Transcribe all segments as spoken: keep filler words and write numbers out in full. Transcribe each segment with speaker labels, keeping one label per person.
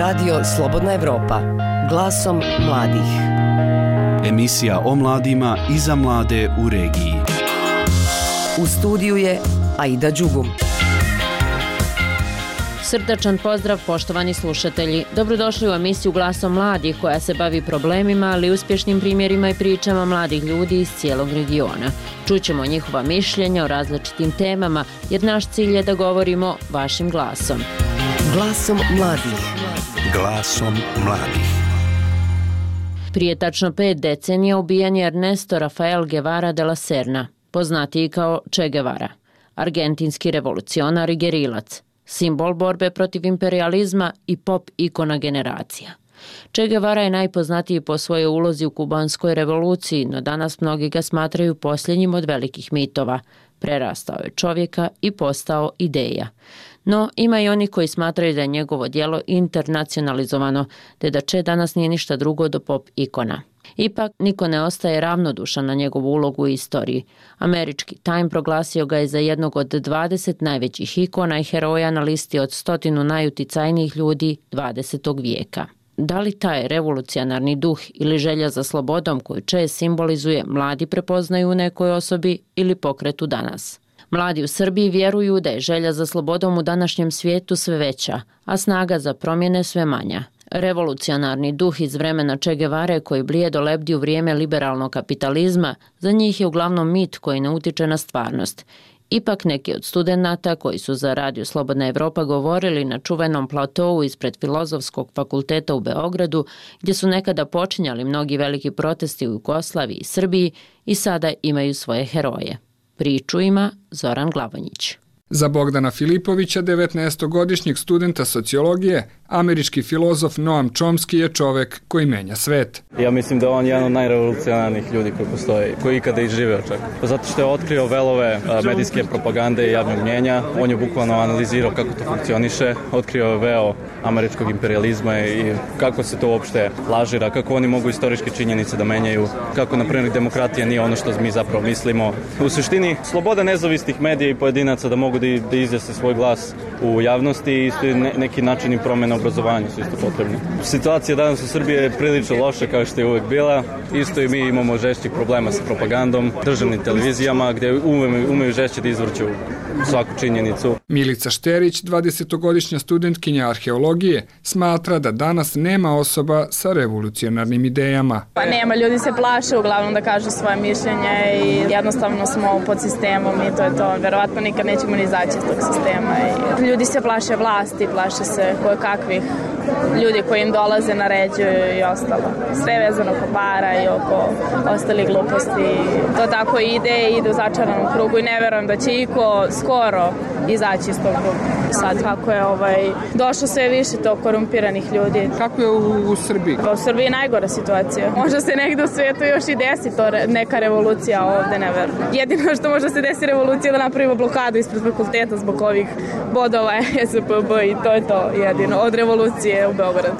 Speaker 1: Radio Slobodna Evropa, glasom mladih.
Speaker 2: Emisija o mladima i za mlade u regiji.
Speaker 1: U studiju je Aida Đugum.
Speaker 3: Srdačan pozdrav, poštovani slušatelji. Dobrodošli u emisiju Glasom mladih koja se bavi problemima, ali i uspješnim primjerima i pričama mladih ljudi iz cijelog regiona. Čućemo njihova mišljenja o različitim temama, jer naš cilj je da govorimo vašim glasom.
Speaker 1: Glasom mladih.
Speaker 2: Glasom mladih.
Speaker 3: Prije tačno pet decenija ubijen je Ernesto Rafael Guevara de la Serna, poznatiji kao Che Guevara, argentinski revolucionar i gerilac, simbol borbe protiv imperializma i pop ikona generacija. Che Guevara je najpoznatiji po svojoj ulozi u kubanskoj revoluciji, no danas mnogi ga smatraju posljednjim od velikih mitova. Prerastao je čovjeka i postao ideja. No, ima i oni koji smatraju da je njegovo djelo internacionalizovano, te da Che danas nije ništa drugo do pop ikona. Ipak, niko ne ostaje ravnodušan na njegovu ulogu u istoriji. Američki Time proglasio ga je za jednog od dvadeset najvećih ikona i heroja na listi od stotinu najuticajnijih ljudi dvadesetog vijeka. Da li taj revolucionarni duh ili želja za slobodom koju Che simbolizuje mladi prepoznaju u nekoj osobi ili pokretu danas? Mladi u Srbiji vjeruju da je želja za slobodom u današnjem svijetu sve veća, a snaga za promjene sve manja. Revolucionarni duh iz vremena Che Guevare koji blijedo lebdi u vrijeme liberalnog kapitalizma, za njih je uglavnom mit koji ne utiče na stvarnost. Ipak neki od studenata koji su za Radio Slobodna Evropa govorili na čuvenom platovu ispred Filozofskog fakulteta u Beogradu, gdje su nekada počinjali mnogi veliki protesti u Jugoslaviji i Srbiji, i sada imaju svoje heroje. Priču ima Zoran Glavonjić.
Speaker 4: Za Bogdana Filipovića, devetnaestogodišnjeg studenta sociologije, američki filozof Noam Chomsky je čovek koji menja svet.
Speaker 5: Ja mislim da on je jedan od najrevolucionarnih ljudi koji postoji, koji ikada i živeo čak. Zato što je otkrio velove medijske propagande i javnog mnjenja, on je bukvalno analizirao kako to funkcioniše, otkrio je veo američkog imperializma i kako se to uopšte lažira, kako oni mogu istorijske činjenice da menjaju, kako, na primjer, demokratija nije ono što mi zapravo mislimo. U suštini, sloboda nezavisnih medija i pojedinaca da mogu da, da izjasne svoj glas u javnosti i isto ne, neki načini promjena obrazovanja su isto potrebni. Situacija danas u Srbiji je prilično loša kao što je uvek bila. Isto i mi imamo žešćih problema sa propagandom, državnim televizijama gdje umeju, umeju žešće da izvrću svaku činjenicu.
Speaker 4: Milica Šterić, dvadesetogodišnja studentkinja arheologije, smatra da danas nema osoba sa revolucionarnim idejama.
Speaker 6: Pa nema, ljudi se plaše uglavnom da kažu svoje mišljenje i jednostavno smo pod sistemom i to je to. Verovatno nikad nećemo ni izaći iz tog sistema. I ljudi se plaše vlasti, plaše se koje kakvih ljudi koji im dolaze, naređuju i ostalo. Sve vezano oko para i oko ostalih gluposti. To tako ide i ide u začaranom krugu i ne verujem da će iko skoro izaći iz tog kruga. Sad kako je ovaj, došlo sve više tog korumpiranih ljudi.
Speaker 4: Kako je u, u Srbiji?
Speaker 6: Pa u Srbiji je najgora situacija. Možda se negdje u svijetu još i desi to neka revolucija, ovdje ne verujem. Jedino što možda se desi revolucija da napravimo blokadu ispred fakulteta zbog ovih bodova S P B i to je to jedino od revolucije u Beogradu.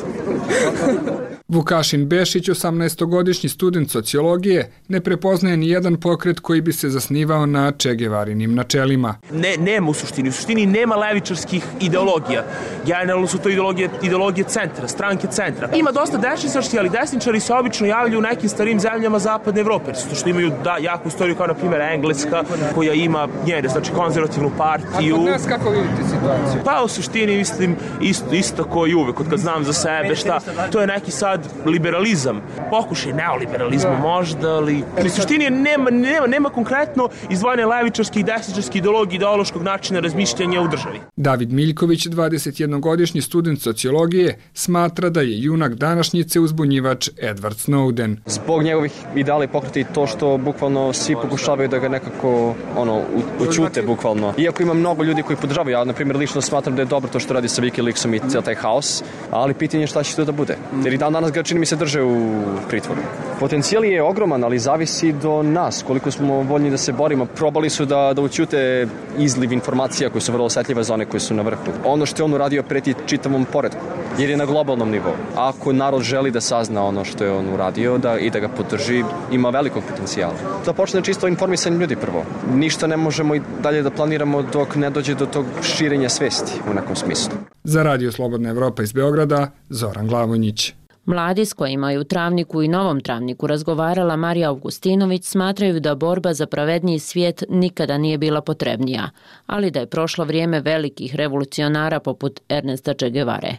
Speaker 4: Vukašin Bešić, osamnaestogodišnji student sociologije, ne prepoznaje ni jedan pokret koji bi se zasnivao na Che Guevarinim načelima.
Speaker 7: Ne, nema u suštini. U suštini nema levičarskih ideologija. Generalno su to ideologije, ideologije centra, stranke centra. Ima dosta desničarskih, ali desničari se obično javljaju u nekim starim zemljama zapadne Evrope. Zato što imaju da, jaku istoriju kao na primjer Engleska, koja ima njene, znači konzervativnu partiju.
Speaker 4: A kod nas kako vidite situaciju?
Speaker 7: Pa u suštini mislim isto, isto kao i uvek, kad znam za sebe šta, to je neki sad liberalizam, pokušaj neoliberalizma možda, ali u suštini nema, nema, nema konkretno izdvojene levičarske i desničarske ideologije ideološkog načina razmišljanja u državi.
Speaker 4: David Miljković, dvadesetjednogodišnji student sociologije, smatra da je junak današnjice uzbunjivač Edward Snowden.
Speaker 8: Zbog njegovih ideala i pokreta i to što bukvalno svi pokušavaju da ga nekako ono, učute bukvalno. Iako ima mnogo ljudi koji podržavaju, ja na primjer lično smatram da je dobro to što radi sa WikiLeaksom i cijel taj haos, ali pitanje je šta će to da bude. Jer i dan danas danas ga čini mi se drže u pritvoru. Potencijal je ogroman, ali zavisi do nas, koliko smo voljni da se borimo. Probali su da, da učute izliv informacija koje su vrlo osetljive za one koje su na vrhu. Ono što je on uradio preti čitavom poretku, jer je na globalnom nivou. Ako narod želi da sazna ono što je on uradio da, i da ga podrži, ima velikog potencijala. Da počne čisto informisanje ljudi prvo. Ništa ne možemo i dalje da planiramo dok ne dođe do tog širenja svesti u nekom smislu.
Speaker 4: Za Radio Slobodna Evropa iz Beograda, Zoran Glavonjić.
Speaker 3: Mladi s kojima je u Travniku i Novom Travniku razgovarala Marija Augustinović smatraju da borba za pravedniji svijet nikada nije bila potrebnija, ali da je prošlo vrijeme velikih revolucionara poput Ernesta Che Guevare.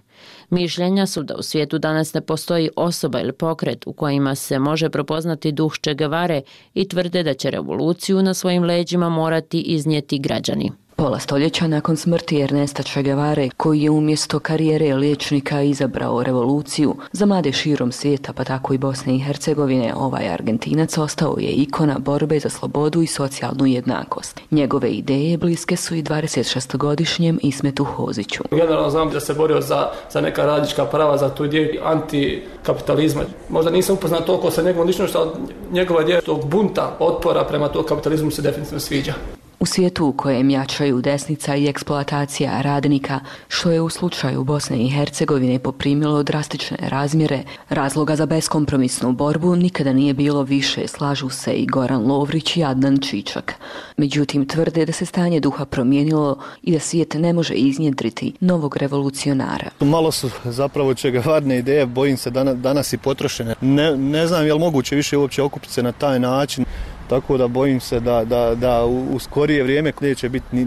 Speaker 3: Mišljenja su da u svijetu danas ne postoji osoba ili pokret u kojima se može prepoznati duh Che Guevare i tvrde da će revoluciju na svojim leđima morati iznijeti građani.
Speaker 1: Pola stoljeća nakon smrti Ernesta Che Guevare, koji je umjesto karijere liječnika izabrao revoluciju, za mlade širom svijeta, pa tako i Bosne i Hercegovine, ovaj Argentinac ostao je ikona borbe za slobodu i socijalnu jednakost. Njegove ideje bliske su i dvadesetšestogodišnjem Ismetu Hoziću.
Speaker 9: Generalno znam da se borio za, za neka radnička prava, za tu ideju antikapitalizma. Možda nisam upoznat toliko sa njegovom ličnošću, ali njegova ideja tog bunta, otpora prema tog kapitalizmu se definitivno sviđa.
Speaker 1: U svijetu u kojem jačaju desnica i eksploatacija radnika, što je u slučaju Bosne i Hercegovine poprimilo drastične razmjere, razloga za beskompromisnu borbu nikada nije bilo više, slažu se i Goran Lovrić i Adnan Čičak. Međutim, tvrde da se stanje duha promijenilo i da svijet ne može iznjedriti novog revolucionara.
Speaker 10: Malo su zapravo Che Guevarine ideje, bojim se danas, danas i potrošene. Ne, ne znam je li moguće više uopće okupiti se na taj način. Tako da bojim se da, da, da u skorije vrijeme neće biti ni,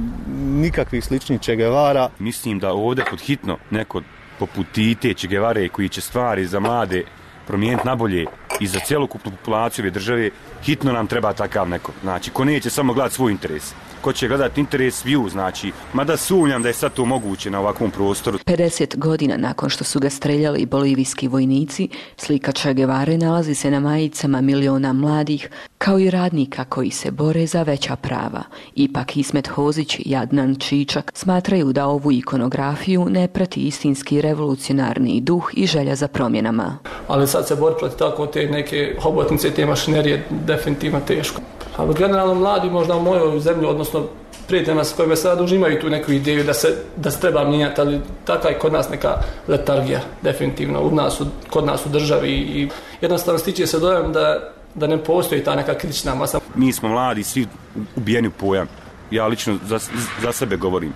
Speaker 10: nikakvih sličnih Che Guevara.
Speaker 11: Mislim da ovdje pod hitno neko poput Tite, Che Guevare koji će stvari za mlade promijeniti nabolje i za cjelokupnu populaciju ove države, hitno nam treba takav neko. Znači, ko neće samo gledati svoj interes, ko će gledati interes view, znači, mada sumnjam da je sad to moguće na ovakvom prostoru.
Speaker 1: pedeset godina nakon što su ga streljali bolivijski vojnici, slika Che Guevare nalazi se na majicama miliona mladih, kao i radnika koji se bore za veća prava. Ipak Ismet Hozić i Adnan Čičak smatraju da ovu ikonografiju ne prati istinski revolucionarni duh i želja za promjenama.
Speaker 9: Ali sad se bori protiv tako te neke hobotnice i te mašinerije definitivno teško. Ali generalno mladi možda u mojoj zemlji, odnosno prijateljima s kojima sada duže imaju tu neku ideju da se, da se treba mijenjati, ali taka je kod nas neka letargija definitivno u nas, kod nas u državi i jednostavno stiče se dojam da, da ne postoji ta neka kritična masa.
Speaker 11: Mi smo mladi, svi ubijeni u pojam. Ja lično za, za sebe govorim.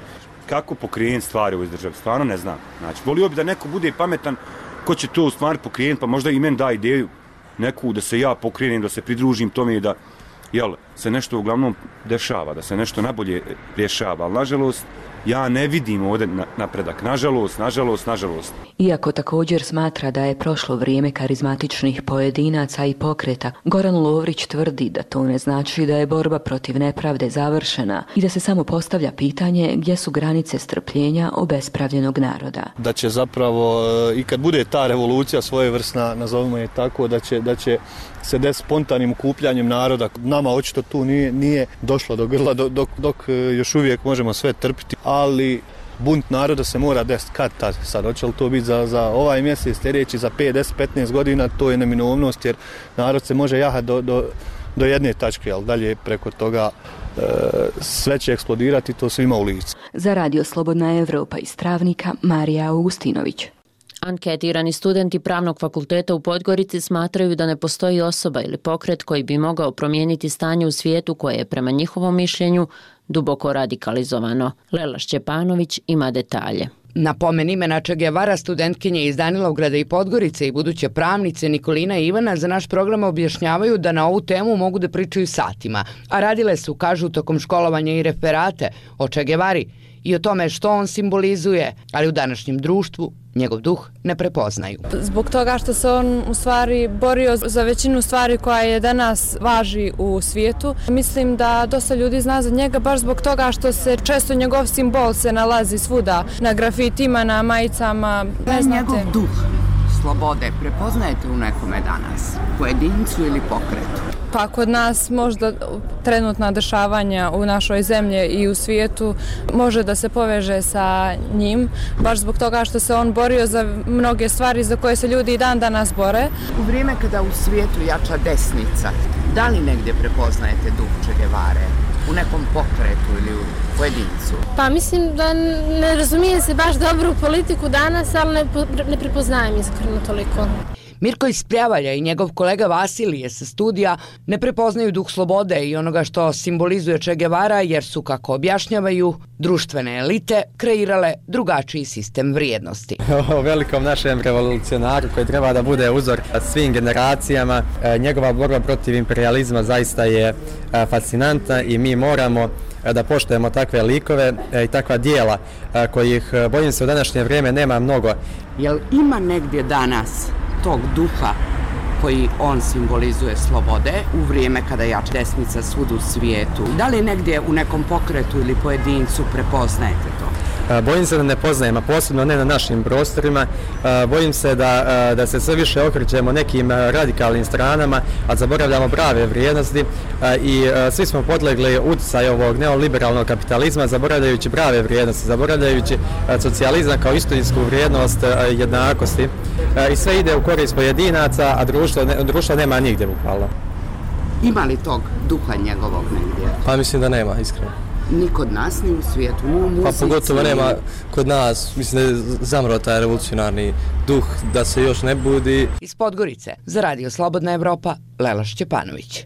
Speaker 11: Kako pokrenuti stvari u ovoj državi? Stvarno ne znam. Znači, volio bi da neko bude pametan ko će to u stvari pokrenuti, pa možda i meni da ideju neku da se ja pokrenem, da se pridružim tome i da jel, se nešto uglavnom dešava, da se nešto nabolje rješava, ali nažalost ja ne vidim ovdje napredak, nažalost, nažalost, nažalost.
Speaker 1: Iako također smatra da je prošlo vrijeme karizmatičnih pojedinaca i pokreta, Goran Lovrić tvrdi da to ne znači da je borba protiv nepravde završena i da se samo postavlja pitanje gdje su granice strpljenja obespravljenog naroda.
Speaker 10: Da će zapravo i kad bude ta revolucija svojevrsna, nazovimo je tako, da će, da će se desiti spontanim okupljanjem naroda. Nama očito tu nije, nije došlo do grla dok, dok još uvijek možemo sve trpiti, ali bunt naroda se mora desiti kad tad. Sad, hoće li to biti za, za ovaj mjesec, sljedeći, za pet, deset, petnaest godina, to je neminovnost jer narod se može jahati do, do, do jedne tačke, ali dalje preko toga e, sve će eksplodirati, to svima u licu.
Speaker 1: Za Radio Slobodna Evropa iz Travnika, Marija Augustinović.
Speaker 3: Anketirani studenti Pravnog fakulteta u Podgorici smatraju da ne postoji osoba ili pokret koji bi mogao promijeniti stanje u svijetu koje je prema njihovom mišljenju duboko radikalizovano. Lela Šćepanović ima detalje.
Speaker 12: Na pomen imena Che Guevara studentkinje iz Danilovgrada i Podgorice i buduće pravnice Nikolina i Ivana za naš program objašnjavaju da na ovu temu mogu da pričaju satima, a radile su, kažu, tokom školovanja i referate o Che Guevari i o tome što on simbolizuje, ali u današnjem društvu njegov duh ne prepoznaju.
Speaker 13: Zbog toga što se on u stvari borio za većinu stvari koja je danas važi u svijetu. Mislim da dosta ljudi zna za njega baš zbog toga što se često njegov simbol se nalazi svuda, na grafitima, na majicama.
Speaker 14: Ne znate. Njegov duh slobode prepoznajete u nekome danas, pojedincu ili pokretu?
Speaker 13: Pa kod nas možda trenutna dešavanja u našoj zemlji i u svijetu može da se poveže sa njim, baš zbog toga što se on borio za mnoge stvari za koje se ljudi i dan danas bore.
Speaker 12: U vrijeme kada u svijetu jača desnica, da li negdje prepoznajete duh Che Guevare? U nekom pokretu ili u pojedincu?
Speaker 14: Pa mislim da ne razumijem se baš dobro u politiku danas, ali ne, ne prepoznajem iskreno toliko.
Speaker 12: Mirko iz Pljavalja i njegov kolega Vasilije sa studija ne prepoznaju duh slobode i onoga što simbolizuje Che Guevara jer su, kako objašnjavaju, društvene elite kreirale drugačiji sistem vrijednosti.
Speaker 15: O velikom našem revolucionaru koji treba da bude uzor svim generacijama, njegova borba protiv imperializma zaista je fascinantna i mi moramo da poštujemo takve likove i takva dijela kojih, bojim se, u današnje vrijeme nema mnogo.
Speaker 12: Jel ima negdje danas tog duha koji on simbolizuje slobode u vrijeme kada jača desnica svud u svijetu? Da li negdje u nekom pokretu ili pojedincu prepoznajete to?
Speaker 15: Bojim se da ne poznajem, a posebno ne na našim prostorima. Bojim se da, da se sve više okrećemo nekim radikalnim stranama, a zaboravljamo prave vrijednosti i svi smo podlegli utjecaju ovog neoliberalnog kapitalizma, zaboravljajući prave vrijednosti, zaboravljajući socijalizam kao istinsku vrijednost jednakosti. I sve ide u korist pojedinaca, a društvo, društvo nema nigdje bukvalno.
Speaker 12: Ima li tog duha njegovog negdje?
Speaker 15: Pa mislim da nema, iskreno.
Speaker 12: Ni kod nas, ni u svijetu, ni u muzici.
Speaker 15: Pa pogotovo nema kod nas, mislim da je zamro taj revolucionarni duh, da se još ne budi.
Speaker 12: Iz Podgorice, za Radio Slobodna Evropa, Lela Šćepanović.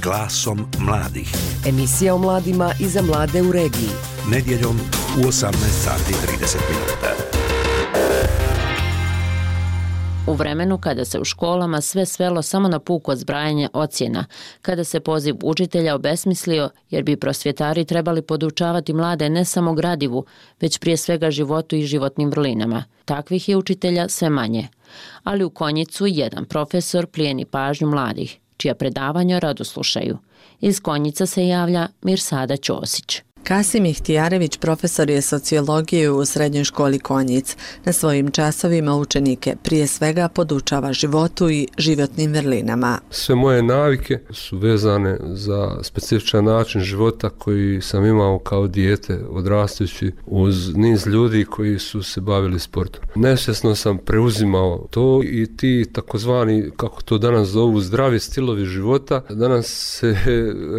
Speaker 2: Glasom mladih.
Speaker 16: Emisija o mladima i za mlade u regiji.
Speaker 2: Nedjeljom u osamnaest sati i trideset minuta.
Speaker 3: U vremenu kada se u školama sve svelo samo na puko zbrajanje ocjena, kada se poziv učitelja obesmislio jer bi prosvjetari trebali podučavati mlade ne samo gradivu, već prije svega životu i životnim vrlinama. Takvih je učitelja sve manje. Ali u Konjicu jedan profesor plijeni pažnju mladih, čija predavanja rado slušaju. Iz Konjica se javlja Mirsada Ćosić.
Speaker 17: Kasim Ihtijarević profesor je sociologije u srednjoj školi Konjic. Na svojim časovima učenike prije svega podučava životu i životnim vrlinama.
Speaker 18: Sve moje navike su vezane za specifičan način života koji sam imao kao dijete odrastajući uz niz ljudi koji su se bavili sportom. Nesvjesno sam preuzimao to i ti takozvani, kako to danas zovu, zdravi stilovi života, danas se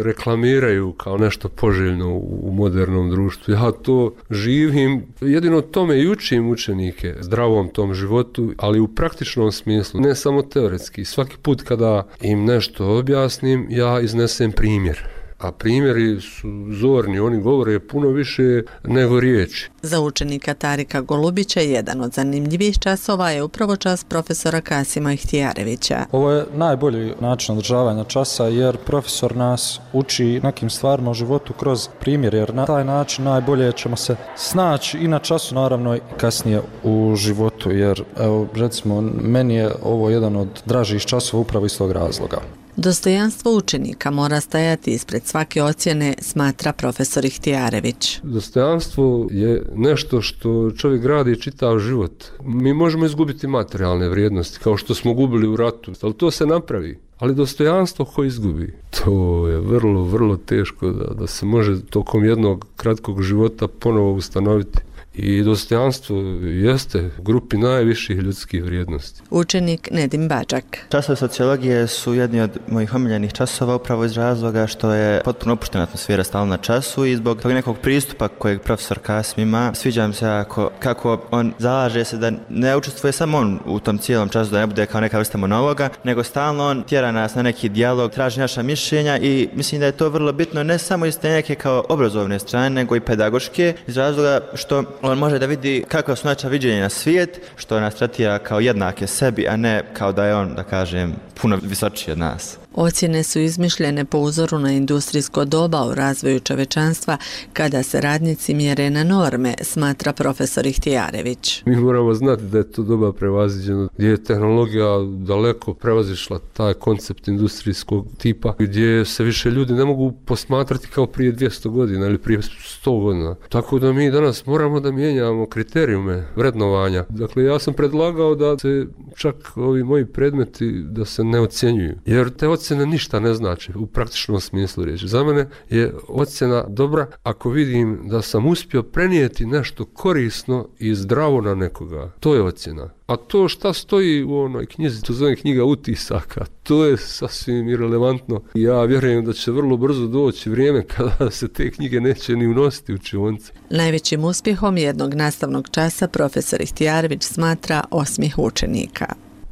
Speaker 18: reklamiraju kao nešto poželjno u modernom društvu. Ja to živim, jedino tome i učim učenike zdravom tom životu, ali u praktičnom smislu, ne samo teoretski. Svaki put kada im nešto objasnim, ja iznesem primjer. A primjeri su zorni, oni govore puno više nego riječi.
Speaker 17: Za učenika Tarika Golubića jedan od zanimljivih časova je upravo čas profesora Kasima Ihtijarevića.
Speaker 19: Ovo je najbolji način održavanja časa jer profesor nas uči nekim stvarima u životu kroz primjer, jer na taj način najbolje ćemo se snaći i na času, naravno i kasnije u životu, jer evo, recimo, meni je ovo jedan od dražih časova upravo iz tog razloga.
Speaker 17: Dostojanstvo učenika mora stajati ispred svake ocjene, smatra profesor Ihtijarević.
Speaker 18: Dostojanstvo je nešto što čovjek gradi čitav život. Mi možemo izgubiti materijalne vrijednosti, kao što smo gubili u ratu, ali to se napravi. Ali dostojanstvo ko izgubi, to je vrlo, vrlo teško da, da se može tokom jednog kratkog života ponovo ustanoviti. I dostojanstvo jeste u grupi najviših ljudskih vrijednosti.
Speaker 17: Učenik Nedim Bađak.
Speaker 20: Časovi sociologije su jedni od mojih omiljenih časova upravo iz razloga što je potpuno opuštena atmosfera stalno na času i zbog tog nekog pristupa kojeg profesor Kasim ima. Sviđa mi se jako, kako on zalaže se da ne učestvuje samo on u tom cijelom času, da ne bude kao neka vrsta monologa, nego stalno on tjera nas na neki dijalog, traži naša mišljenja i mislim da je to vrlo bitno ne samo iz te neke kao obrazovne strane, nego i pedagoške, iz razloga što on može da vidi kakva su naša viđenja na svijet, što nas tretira kao jednake sebi, a ne kao da je on, da kažem, puno visočiji od nas.
Speaker 17: Ocjene su izmišljene po uzoru na industrijsko doba u razvoju čovečanstva kada se radnici mjere na norme, smatra profesor Ihtijarević.
Speaker 18: Mi moramo znati da je to doba prevaziđeno, gdje je tehnologija daleko prevazišla taj koncept industrijskog tipa, gdje se više ljudi ne mogu posmatrati kao prije dvjesto godina ili prije sto godina. Tako da mi danas moramo da mijenjamo kriterijume vrednovanja. Dakle, ja sam predlagao da se čak ovi moji predmeti da se ne ocjenjuju, jer te ocjene ništa ne znači u praktičnom smislu riječi. Za mene je ocjena dobra ako vidim da sam uspio prenijeti nešto korisno i zdravo na nekoga. To je ocjena. A to šta stoji u onoj knjizi, to zove knjiga utisaka, to je sasvim irelevantno. Ja vjerujem da će vrlo brzo doći vrijeme kada se te knjige neće ni unositi u učionice.
Speaker 17: Najvećim uspjehom jednog nastavnog časa profesor Ihtijarević smatra osmijeh učenika.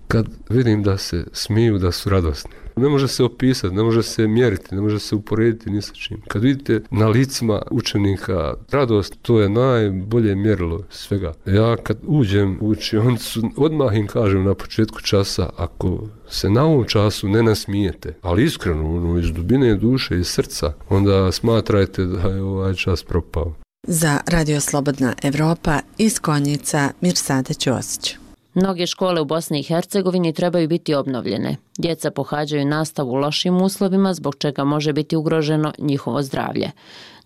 Speaker 18: Kad vidim da se smiju, da su radosni. Ne može se opisati, ne može se mjeriti, ne može se uporediti ni sa čim. Kad vidite na licima učenika radost, to je najbolje mjerilo svega. Ja kad uđem u učionicu, odmah im kažem na početku časa, ako se na ovom času ne nasmijete, ali iskreno, ono, iz dubine duše, iz srca, onda smatrajte da je ovaj čas propao.
Speaker 17: Za Radio Slobodna Evropa iz Konjica, Mirsada Ćosić.
Speaker 3: Mnoge škole u Bosni i Hercegovini trebaju biti obnovljene. Djeca pohađaju nastavu u lošim uslovima, zbog čega može biti ugroženo njihovo zdravlje.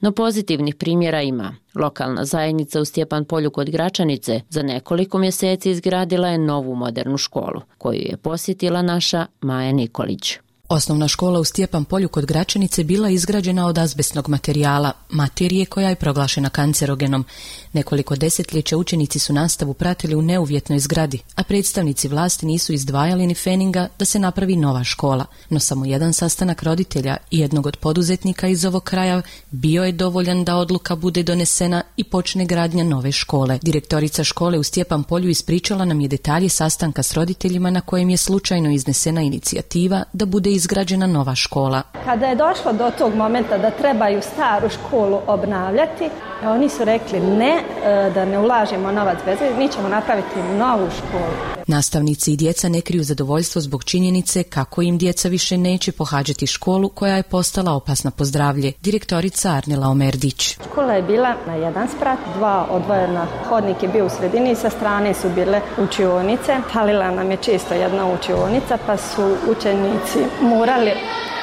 Speaker 3: No pozitivnih primjera ima. Lokalna zajednica u Stjepan Polju kod Gračanice za nekoliko mjeseci izgradila je novu modernu školu, koju je posjetila naša Maja Nikolić.
Speaker 21: Osnovna škola u Stjepan Polju kod Gračanice bila izgrađena od azbestnog materijala, materije koja je proglašena kancerogenom. Nekoliko desetljeća učenici su nastavu pratili u neuvjetnoj zgradi, a predstavnici vlasti nisu izdvajali ni feninga da se napravi nova škola. No samo jedan sastanak roditelja i jednog od poduzetnika iz ovog kraja bio je dovoljan da odluka bude donesena i počne gradnja nove škole. Direktorica škole u Stjepan Polju ispričala nam je detalje sastanka s roditeljima na kojem je slučajno iznesena inicijativa da bude izgrađena nova škola.
Speaker 22: Kada je došlo do tog momenta da trebaju staru školu obnavljati, oni su rekli ne, da ne ulažemo novac bez veze, mi ćemo napraviti novu školu.
Speaker 21: Nastavnici i djeca ne kriju zadovoljstvo zbog činjenice kako im djeca više neće pohađati školu koja je postala opasna po zdravlje. Direktorica Arnela Omerdić.
Speaker 22: Škola je bila na jedan sprat, dva odvojena, hodnik je bio u sredini i sa strane su bile učionice. Falila nam je često jedna učionica pa su učenici morali,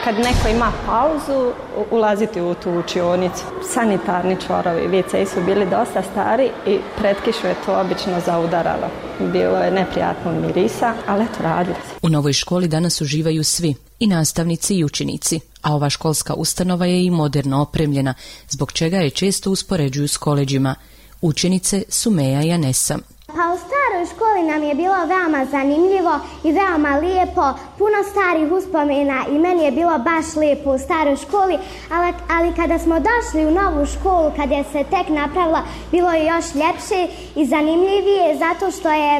Speaker 22: kad neko ima pauzu, ulaziti u tu učionicu. Sanitarni čvorovi, ve ce su bili dosta stari i pred kišu je to obično zaudaralo. Bilo je neprijatno mirisa, ali eto, radilo se.
Speaker 21: U novoj školi danas uživaju svi, i nastavnici i učenici, a ova školska ustanova je i moderno opremljena, zbog čega je često uspoređuju s koleđima. Učenice su Meja i Anesa.
Speaker 23: Pa u staroj školi nam je bilo veoma zanimljivo i veoma lijepo, puno starih uspomena i meni je bilo baš lijepo u staroj školi, ali, ali kada smo došli u novu školu, kad je se tek napravila, bilo je još ljepše i zanimljivije zato što je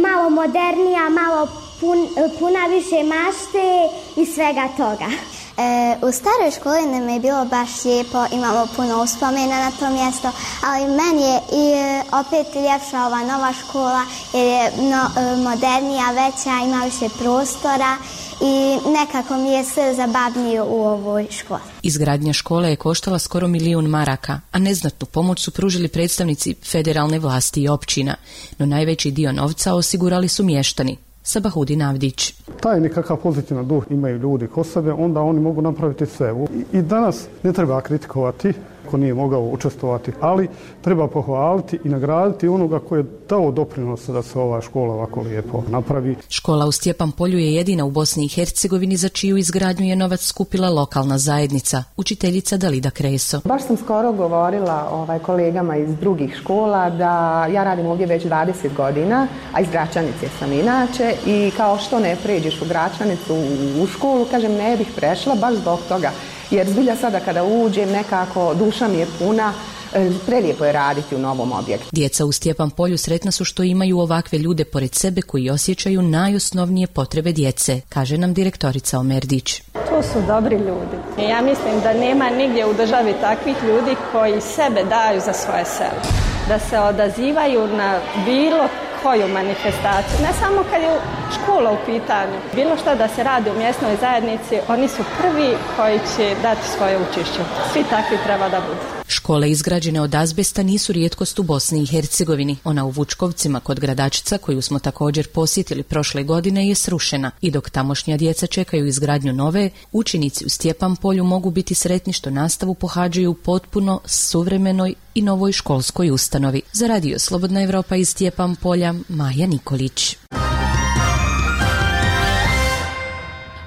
Speaker 23: malo modernija, malo pun, puna više mašte i svega toga.
Speaker 24: E, u staroj školi nam je bilo baš lijepo, imamo puno uspomena na to mjesto, ali meni je i opet ljepša ova nova škola jer je no, modernija, veća, ima više prostora i nekako mi je sve zabavnije u ovoj školi.
Speaker 21: Izgradnja škole je koštala skoro milijun maraka, a neznatnu pomoć su pružili predstavnici federalne vlasti i općina, no najveći dio novca osigurali su mještani. Sabahudin Avdić.
Speaker 25: Taj nekakav pozitivan duh imaju ljudi kod sebe, onda oni mogu napraviti sve. I, i danas ne treba kritikovati ko nije mogao učestvovati, ali treba pohvaliti i nagraditi onoga koji je dao doprinos da se ova škola ovako lijepo napravi.
Speaker 21: Škola u Stjepan Polju je jedina u Bosni i Hercegovini za čiju izgradnju je novac skupila lokalna zajednica, učiteljica Dalida Kreso.
Speaker 26: Baš sam skoro govorila ovaj, kolegama iz drugih škola da ja radim ovdje već dvadeset godina, a iz Gračanice sam inače i kao što ne pređeš u Gračanicu u, u školu, kažem ne bih prešla baš zbog toga. Jer zbilja sada kada uđem nekako duša mi je puna, prelijepo je raditi u novom objektu.
Speaker 21: Djeca u Stjepan Polju sretna su što imaju ovakve ljude pored sebe koji osjećaju najosnovnije potrebe djece, kaže nam direktorica Omerdić.
Speaker 22: To su dobri ljudi. Ja mislim da nema nigdje u državi takvih ljudi koji sebe daju za svoje selo. Da se odazivaju na bilo koju manifestaciju, ne samo kad je škola u pitanju. Bilo što da se radi u mjesnoj zajednici, oni su prvi koji će dati svoje učešće. Svi takvi treba da budu.
Speaker 21: Škole izgrađene od azbesta nisu rijetkost u Bosni i Hercegovini. Ona u Vučkovcima kod Gradačica, koju smo također posjetili prošle godine, je srušena. I dok tamošnja djeca čekaju izgradnju nove, učenici u Stjepan polju mogu biti sretni što nastavu pohađaju potpuno suvremenoj i novoj školskoj ustanovi. Za Radio Slobodna Evropa iz Stjepan polja, Maja Nikolić.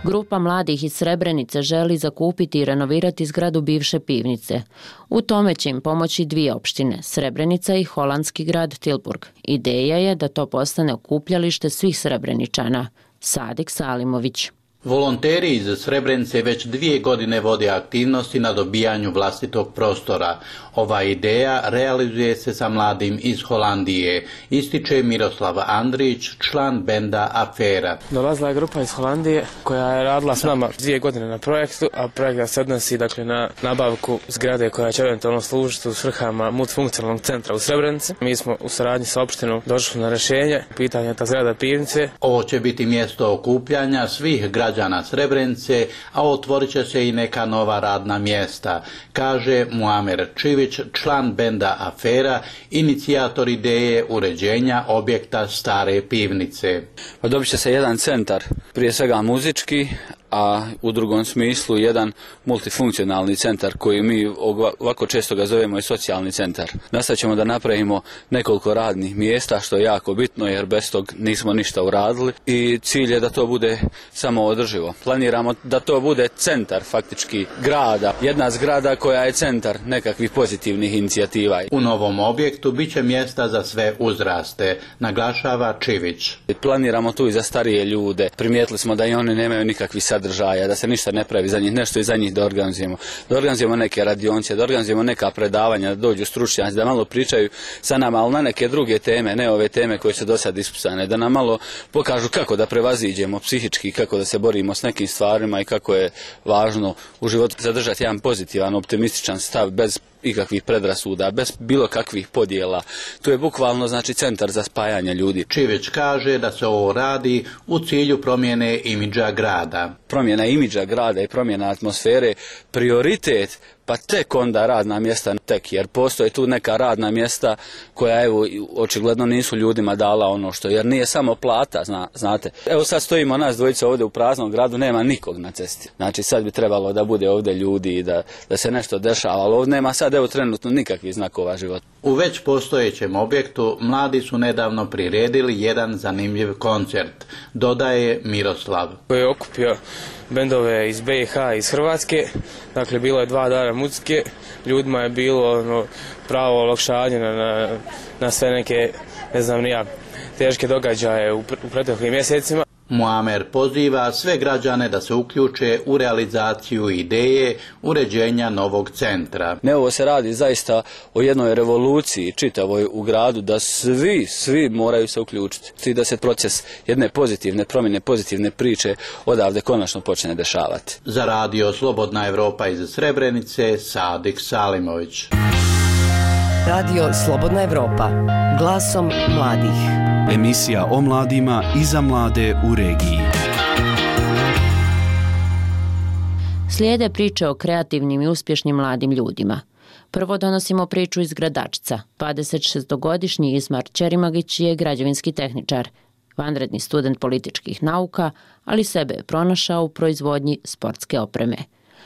Speaker 3: Grupa mladih iz Srebrenice želi zakupiti i renovirati zgradu bivše pivnice. U tome će im pomoći dvije opštine, Srebrenica i holandski grad Tilburg. Ideja je da to postane okupljalište svih Srebreničana. Sadik Salimović.
Speaker 4: Volonteri iz Srebrenice već dvije godine vode aktivnosti na dobijanju vlastitog prostora. Ova ideja realizuje se sa mladim iz Holandije, ističe Miroslav Andrić, član benda Afera.
Speaker 5: Dolazila je grupa iz Holandije koja je radila s nama dvije godine na projektu, a projekt se odnosi dakle, na nabavku zgrade koja će eventualno služiti u svrhama multifunkcionalnog centra u Srebrenici. Mi smo u saradnji sa opštinom došli na rješenje, pitanje je ta zgrada pivnice.
Speaker 4: Ovo će biti mjesto okupljanja svih građana Srebrenice, a otvorit će se i neka nova radna mjesta, kaže Muamer Čivić, član benda Afera, inicijator ideje uređenja objekta stare pivnice.
Speaker 6: Dobit će se jedan centar, prije svega muzički, a u drugom smislu jedan multifunkcionalni centar koji mi ovako često ga zovemo i socijalni centar. Nastat ćemo da napravimo nekoliko radnih mjesta, što je jako bitno jer bez tog nismo ništa uradili i cilj je da to bude samo održivo. Planiramo da to bude centar faktički grada, jedna zgrada koja je centar nekakvih pozitivnih inicijativa.
Speaker 4: U novom objektu bit će mjesta za sve uzraste, naglašava Čivić.
Speaker 6: Planiramo tu i za starije ljude. Primijetili smo da i oni nemaju nikakvih sadržaja, da se ništa ne pravi za njih, nešto i za njih da organizujemo. Da organizujemo neke radionce, da organizujemo neka predavanja, da dođu stručnjaci, da malo pričaju sa nama, ali na neke druge teme, ne ove teme koje su do sad ispisane, da nam malo pokažu kako da prevaziđemo psihički, kako da se borimo s nekim stvarima i kako je važno u životu zadržati jedan pozitivan, optimističan stav bez ikakvih predrasuda, bez bilo kakvih podjela. Tu je bukvalno znači centar za spajanje ljudi.
Speaker 4: Čivić kaže da se ovo radi u cilju promjene imidža grada.
Speaker 6: Promjena imidža grada i promjena atmosfere prioritet, pa tek onda radna mjesta tek, jer postoje tu neka radna mjesta koja evo očigledno nisu ljudima dala ono što, jer nije samo plata, zna, znate. Evo sad stojimo nas dvojica ovdje u praznom gradu, nema nikog na cesti. Znači sad bi trebalo da bude ovdje ljudi i da, da se nešto dešava, ali ovdje nema sad evo trenutno nikakvih znakova života.
Speaker 4: U već postojećem objektu mladi su nedavno priredili jedan zanimljiv koncert, dodaje Miroslav.
Speaker 5: Koji je okupio bendove iz B i H i iz Hrvatske, dakle bilo je dva dana muzike, ljudima je bilo ono, pravo olakšanje na, na, na sve neke, ne znam nija, teške događaje u, u prethodnim mjesecima.
Speaker 4: Muamer poziva sve građane da se uključe u realizaciju ideje uređenja novog centra.
Speaker 6: Ne, ovo se radi zaista o jednoj revoluciji čitavoj u gradu, da svi, svi moraju se uključiti. I da se proces jedne pozitivne promjene, pozitivne priče odavde konačno počne dešavati.
Speaker 4: Za Radio Slobodna Evropa iz Srebrenice, Sadik Salimović.
Speaker 16: Radio Slobodna Evropa, glasom mladih.
Speaker 2: Emisija o mladima i za mlade u regiji.
Speaker 3: Slijede priče o kreativnim i uspješnim mladim ljudima. Prvo donosimo priču iz Gradačca. dvadesetšestogodišnji Ismar Ćerimagić je građevinski tehničar, vanredni student političkih nauka, ali sebe je pronašao u proizvodnji sportske opreme.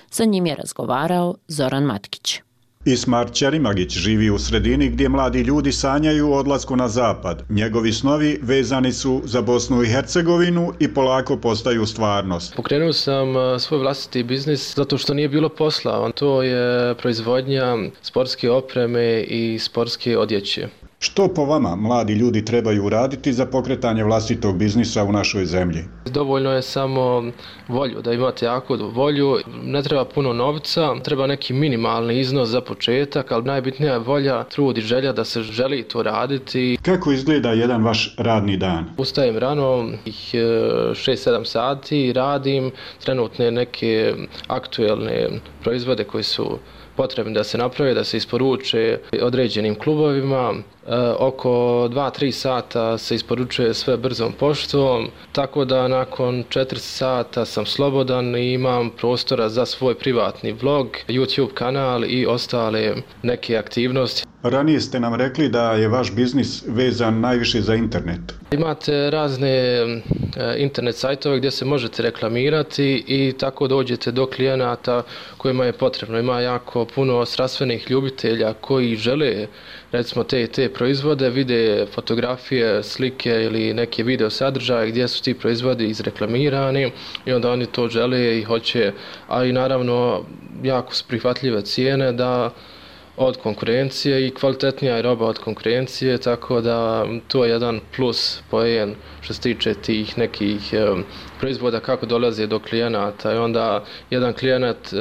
Speaker 3: Sa njim je razgovarao Zoran Matkić.
Speaker 7: Ismar Ćerimagić živi u sredini gdje mladi ljudi sanjaju o odlasku na zapad. Njegovi snovi vezani su za Bosnu i Hercegovinu i polako postaju stvarnost.
Speaker 8: Pokrenuo sam svoj vlastiti biznis zato što nije bilo posla. To je proizvodnja sportske opreme i sportske odjeće.
Speaker 7: Što po vama mladi ljudi trebaju uraditi za pokretanje vlastitog biznisa u našoj zemlji?
Speaker 8: Dovoljno je samo volju, da imate jako volju. Ne treba puno novca, treba neki minimalni iznos za početak, ali najbitnija je volja, trud i želja da se želi to raditi.
Speaker 7: Kako izgleda jedan vaš radni dan?
Speaker 8: Ustajem rano, šest sedam sati, radim trenutne neke aktuelne proizvode koji su potrebni da se naprave, da se isporuče određenim klubovima. E, oko dva do tri sata se isporučuje sve brzom poštom, tako da nakon četiri sata sam slobodan i imam prostora za svoj privatni vlog, YouTube kanal i ostale neke aktivnosti.
Speaker 7: Ranije ste nam rekli da je vaš biznis vezan najviše za internet.
Speaker 8: Imate razne internet sajtove gdje se možete reklamirati i tako dođete do klijenata kojima je potrebno. Ima jako puno strastvenih ljubitelja koji žele recimo te i te proizvode, vide fotografije, slike ili neke video sadržaje gdje su ti proizvodi izreklamirani i onda oni to žele i hoće, a i naravno jako su prihvatljive cijene da od konkurencije i kvalitetnija je roba od konkurencije, tako da to je jedan plus poen što se tiče tih nekih e, proizvoda kako dolaze do klijenata i onda jedan klijenat e,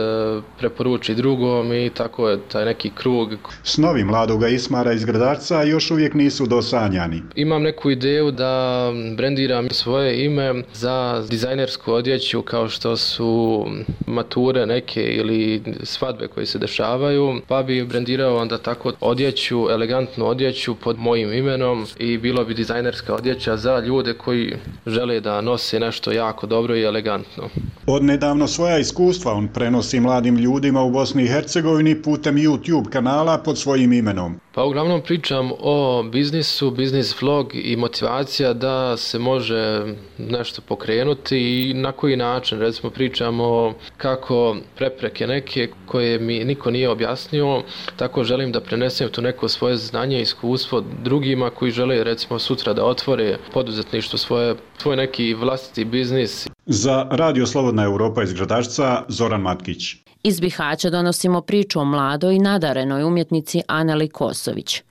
Speaker 8: preporuči drugom i tako je taj neki krug.
Speaker 7: Snovi mladoga Ismara iz Gradačca još uvijek nisu dosanjani.
Speaker 8: Imam neku ideju da brendiram svoje ime za dizajnersku odjeću kao što su mature neke ili svadbe koje se dešavaju, pa bi brendirao onda tako odjeću, elegantnu odjeću pod mojim imenom i bilo bi dizajnerska odjeća za ljude koji žele da nose nešto jako dobro i elegantno.
Speaker 7: Odnedavno svoja iskustva on prenosi mladim ljudima u Bosni i Hercegovini putem YouTube kanala pod svojim imenom.
Speaker 8: Pa uglavnom pričam o biznisu, biznis vlog i motivacija da se može nešto pokrenuti i na koji način. Recimo pričamo kako prepreke neke koje mi niko nije objasnio, tako želim da prenesem to neko svoje znanje i iskustvo drugima koji žele recimo sutra da otvore poduzetništvo svoje, svoj neki vlastiti biznis.
Speaker 7: Za Radio Slobodna Europa iz Gradačca, Zoran Matkić.
Speaker 3: Iz Bihaća donosimo priču o mladoj i nadarenoj umjetnici Aneli Kosović.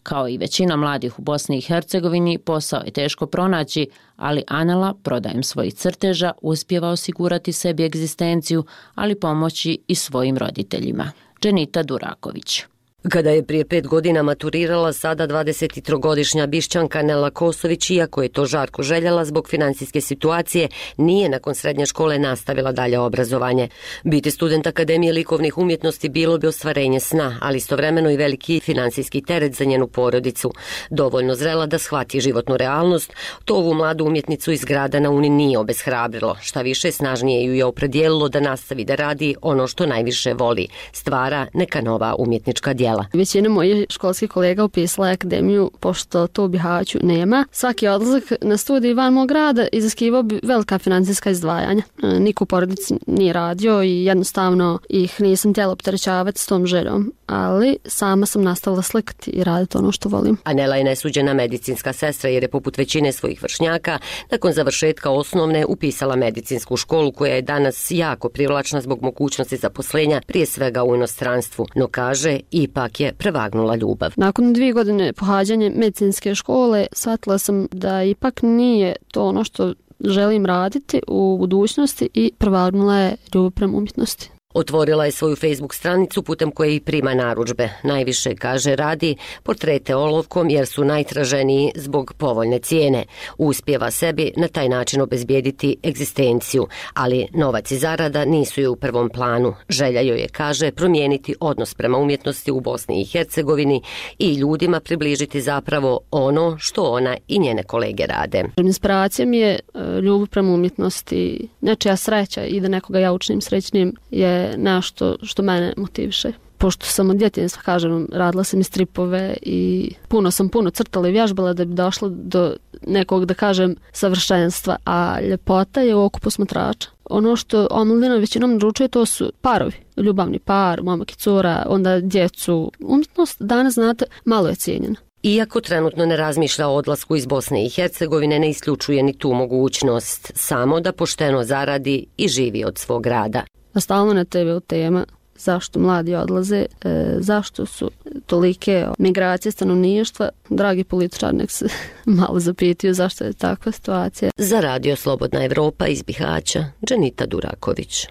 Speaker 3: Kao i većina mladih u Bosni i Hercegovini, posao je teško pronaći, ali Anela, prodajem svojih crteža, uspijeva osigurati sebi egzistenciju, ali pomoći i svojim roditeljima. Dženita Duraković.
Speaker 1: Kada je prije pet godina maturirala, sada dvadesettrogodišnja Bišćanka Anela Kosović, iako je to žarko željela zbog financijske situacije, nije nakon srednje škole nastavila dalje obrazovanje. Biti student Akademije likovnih umjetnosti bilo bi ostvarenje sna, ali istovremeno i veliki financijski teret za njenu porodicu. Dovoljno zrela da shvati životnu realnost, to ovu mladu umjetnicu iz grada na Uni nije obeshrabrilo. Šta više, snažnije ju je opredijelilo da nastavi da radi ono što najviše voli, stvara neka nova umjetnička djela.
Speaker 9: Većina mojih školskih kolega upisala je akademiju, pošto to u Bihaću nema. Svaki odlazak na studij van mog grada iziskivao bi velika financijska izdvajanja. Niko u porodici nije radio i jednostavno ih nisam htjela opterećavati s tom željom, ali sama sam nastavila slikati i raditi ono što volim.
Speaker 1: Anela je nesuđena medicinska sestra jer je poput većine svojih vršnjaka nakon završetka osnovne upisala medicinsku školu koja je danas jako privlačna zbog mogućnosti zaposlenja, prije svega u inostranstvu, no kaže ipak je prevagnula ljubav.
Speaker 9: Nakon dvije godine pohađanja medicinske škole shvatila sam da ipak nije to ono što želim raditi u budućnosti i prevagnula je ljubav prema umjetnosti.
Speaker 1: Otvorila je svoju Facebook stranicu putem koje i prima narudžbe. Najviše, kaže, radi portrete olovkom jer su najtraženiji zbog povoljne cijene. Uspijeva sebi na taj način obezbijediti egzistenciju, ali novac i zarada nisu joj u prvom planu. Želja joj je, kaže, promijeniti odnos prema umjetnosti u Bosni i Hercegovini i ljudima približiti zapravo ono što ona i njene kolege rade.
Speaker 9: Inspiracija mi je ljubav prema umjetnosti, nečija sreća i da nekoga ja učinim srećnim je nešto što mene motiviše. Pošto sam od djetinjstva, kažem, radila sam i stripove i puno sam puno crtala i vježbala da bi došla do nekog, da kažem, savršenstva, a ljepota je u oku posmatrača. Ono što omladina većinom naručuje, to su parovi, ljubavni par, momak i cura, onda djecu. Umjetnost danas, znate, malo je cijenjena.
Speaker 1: Iako trenutno ne razmišlja o odlasku iz Bosne i Hercegovine, ne isključuje ni tu mogućnost, samo da pošteno zaradi i živi od svog rada.
Speaker 9: A stalno na te ve tema zašto mladi odlaze, e, zašto su tolike migracije stanovništva. Dragi političari, nek se malo zapitaju zašto je takva situacija.
Speaker 1: Za Radio Slobodna Evropa iz Bihaća, Dženita Duraković.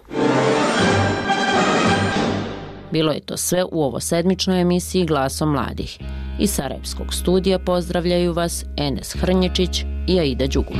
Speaker 3: Bilo je to sve u ovo sedmičnoj emisiji Glasom mladih. Iz Sarajevskog studija pozdravljaju vas Enes Hrnječić i Aida Đugum.